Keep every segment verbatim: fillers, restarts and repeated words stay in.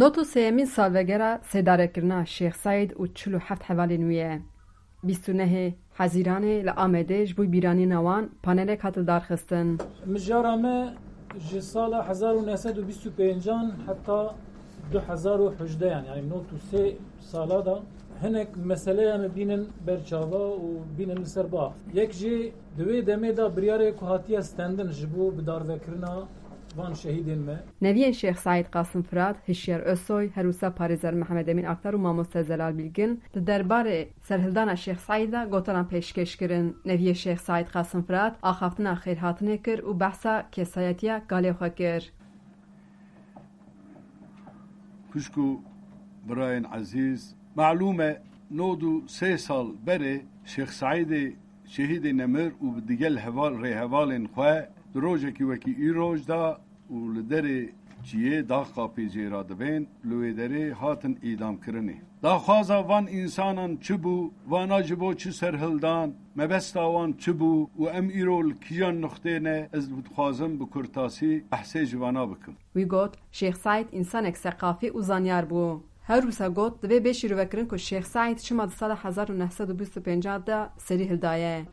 Nod û sêyemîn salvegera sêdarekirina Şêx Seîd û çil û heft hevalên wî ye. Bîst û nehê Hezîranê li Amedê ji bo bîranîna wan panelek hat lidarxistin. Mijara me ji sala hezar û neh sed û bîst û pêncan heta du hezar û hejdeh, yani, yani nod û sê sala da hinek meseleya me bînin ber çava û bînin li ser ba. Yek jî di wê demê de biryarê ku hatiye stendin ji bo bidarvekirina van şehîdên me. Neviyên Şêx Seîd Qasim Firat, Hişyar Özsoy, her wisa parêzer Mihemed Emîn Aktar û mamoste Zelal Bilgin li derbarê serhildana Şêx Seîd de gotanan pêşkêş kirin. Neviyê Şêx Seîd Qasim Firat axaftina xêrhatinê kir û behsa kesayetiya kalê xwe kir. Xwişk û birayên ezîz, malûm e, nod û sê sal berê Şêx Seîdê şehîdê nemir û bi digel heval, rêhevalên xwe di rojekî wekî îroj de û li derê çiyê daxka pêcê re dibên, li wê derê hatin îdamkirinê. Daxwaza van însanan çi bû, vana ji bo çi serhildan, mebesta wan çi bû û em îro li kîjan nuxtê ne, ez dixwazim bi kurtasî behsê ji vana bikim. Wî got, Şêx Seîd însanek seqafî û zanyar bû. Her wisa got, divê bê şîrovekirin ku Şêx Seîd çima di sala hezar û neh sed û bîst û pênc de serî hildaye.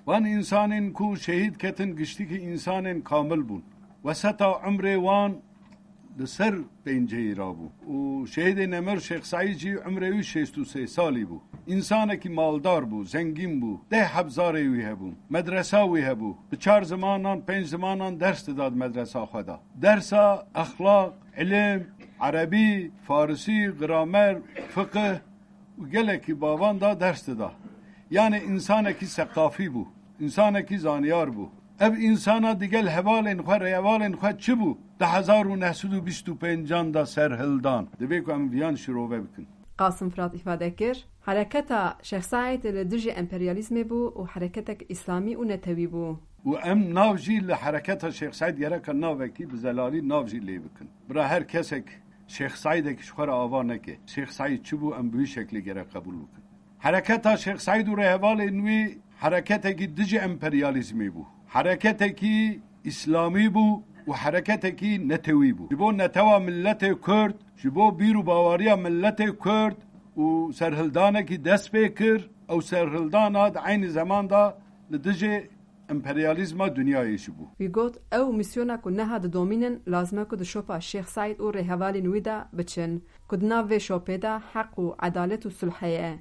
Van însanên ku şehîd ketin giştikî însanên kamil bûn. Weseta umrê wan li ser pênceyî rabû. Û şehîdê nemir Şêx Seîd jî umrê wî şêst û sê salî bû. Însanekî maldar bû, zengîn bû. Deh heb zarê wî hebûn. Medresa wî hebû. Bi çar zimanan, pênc zimanan ders dida di medresa xwe de. Dersa exlaq, ilim, erebî, farisî, gramer, fiqih û gelekî bavan da ders dida. Yanî însanekî seqafî bû, însanekî zanyar bû. Ev însana digel hevalên xwe, rêhevalên xwe çi bû? Di hezar û neh sed û bîst û pêncan de serhildan. Divê ku em viyan şirove bikin. Qasim Firat îfade kir, hereketa Şêx Seîd li dijî emperyalîzmê bû û hereketek îslamî û netewî bû. Û em nav jî li hereketa Şêx Seîd gereka navekî bi zelalî nav jî lê bikin. Bira her kesek Şêx Seîdek ji xwe re ava neke. Şêx Seîd çi bû, em bi wî şeklê gerek qebûl bikin. Hereketa Şêx Seîd û rêhevalên wî hereketekî dijî emperyalîzmê bû. Hereketekî îslamî bû û hereketekî netewî bû. Ji bo netewa miletê Kurd, ji bo bîr û bawariya miletê Kurd û serhildanekî dest pê kir. Ew serhildana di eynî zeman de li dijî emperyalîzma dinyayê jî bû. Wî got, ew mîsyona ku neha didomînin, lazim e ku di şopa Şêx Seîd û rêhevalên wî de biçin, ku di nav vê şopê de heq û edalet û sulh heye.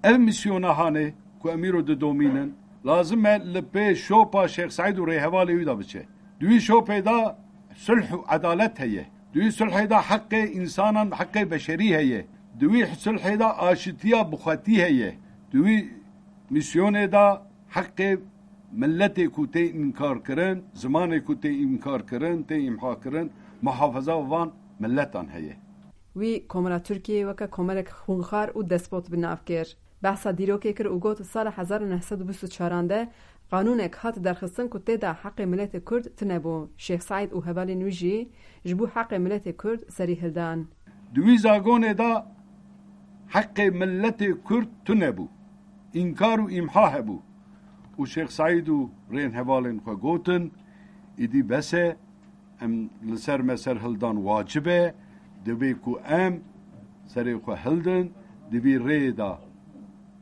Ev mîsyona hanê ku em îro didomînin, lazim e li pê şopa Şêx Seîd û rêhevalê wî de biçe. Di wî şopê de sulh û edalet heye. Di wî sulhê de heqê însanan, heqê beşerî heye. Di wî sulhê de aşitiya bixwetî heye. Di wî mîsyonê de heqê miletê ku tê înkarkirin, zimanê ku tê înkarkirin, tê îmhakirin, muhafaza van miletan heye. Wî Komara Tirkiyeyê weke komelek xwînxwar û despot bi nav kir. Behsa dîrokê kir û got, sala hezar û neh sed û bîst û çaran de qanûnek hat derxistin ku tê de heqê miletê Kurd tune bû. Şêx Seîd û hevalên wî jî ji bo heqê miletê Kurd serî hildan. Di wî zagonê de heqê miletê Kurd tune bû. Înkar û îmha hebû. Û Şêx Seîd û rênhevalên xwe gotin, îdî bes e, em li ser me serhildan wacib e, divê ku em serê xwe hildin, di vî rêyê de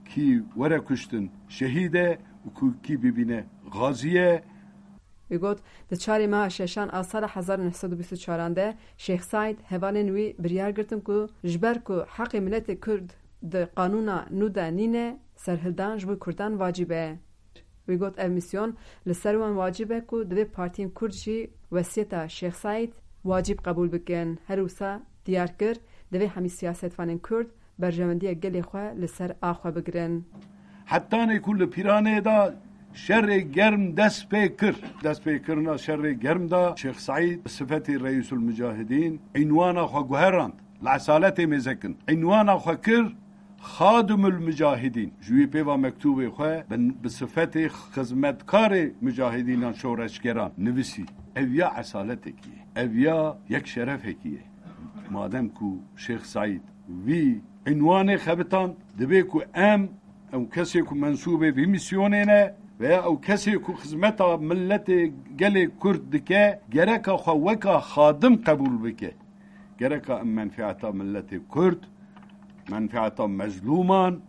kî were kuştin şehîd e û ku kî bibîne xazî ye. Wî got, di çarê meha şeşan a sala hezar û neh sed û bîst û çaran de Şêx Seîd hevalên wî biryar girtin ku ji ber ku heqê miletê Kurd di qanûna nû de nîne, serhildan ji bo Kurdan wacib e. Wî got, ev mîsyon li ser wan wacib e ku divê partiyên Kurd jî wesiyeta Şêx Seîd wacib qebûl bikin. Her wisa diyar kir, divê hemî siyasetvanên Kurd berjewendiya gelê xwe li ser a xwe bigirin. Hetanê ku li Pîranê de şerê germ dest pê kir. Dest pê kirina şerê germ de Şêx Seîd bi sifetê Reîsul Mucahidîn înwana xwe guherand. Li esaletê mêze kin. Înwana xwe kir Xadimul Mucahidîn. Ji wî pê ve mektûbê xwe bi, bi sifetê xizmetkarê mucahidînan şoreşgeran nivîsî. Ev ya esaletekî ye. Ev ya yek şerefekî ye. Madem ku Şêx Seîd vî înwanê xebitand, divê ku em, ew kesê ku mensûbê vî mîsyonê ne, Veya ew kesê ku xizmeta milletê gelê Kurd dike, gereka xwe weka xadim qebûl bike. Gereka em menfieta milletê Kurd, menfieta mezlûman,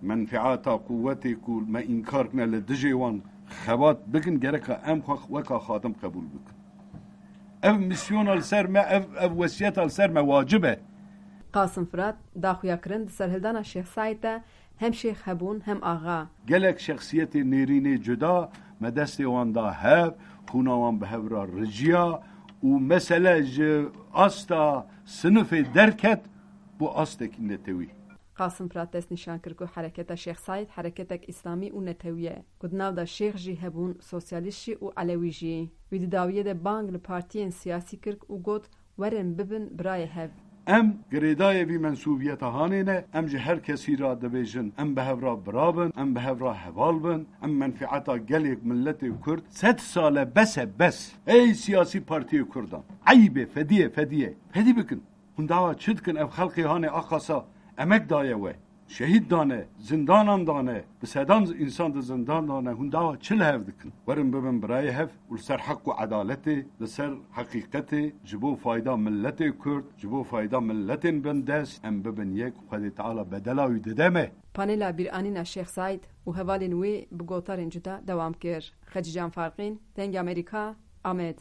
menfieta quwetê ku me înkar kine li dijê wan xebat bikin, gereka em xwe weka xadim qebûl bikin. Ev misyona li ser me, ev, ev wesiyeta li ser me wacib e. Qasim Firat, daxuyakirin di serhildana Şêx Saîd de hem şêx hebûn hem axa. Gelek şexsiyetê nêrînê cuda me destê wan da hev, xûna wan bi hev re riciya û mesele ji asta sinifê derket bo astekî netewî. Qasim Firat dest nîşan kir ku hereketa Şêx Saîd hereketek îslamî û netewî ye, ku di nav de şêx jî hebûn, sosyalîst jî û elewî jî. Wî di dawiyê de bang li partiyên siyasî kir û got, werin bibin birayê hev. Em girêdayê vî mensûbiyeta hanê ne, em ji her kesî re dibêjin, em bi hev re bira bin, em bi hev re heval bin, em menfieta gelê miletê Kurd sed sal e, bes e, bes. Ey siyasî partiyê Kurdan, eyb e, fedî ye, fedî ye, fedî bikin. Hûn dawa çi dikin? Ev xelkê hanê aqasa emek daye we. Şehîd dane, zindanan dane, bi sedan însan di zindan dane, hûn dawa çi li hev dikin? Werin bibin birayê hev û li ser heq û edaletê, li ser heqîqetê, ji bo fayda miletê Kurd, ji bo fayda miletên bindest, em bibin yek û Xwedê Teala bedela wî dide me. Panela bîranîna Şêx Saîd û hevalên wê bi gotarên cuda dewam kir. Xecîcan Farqîn, Dengê Amerîka, Amed.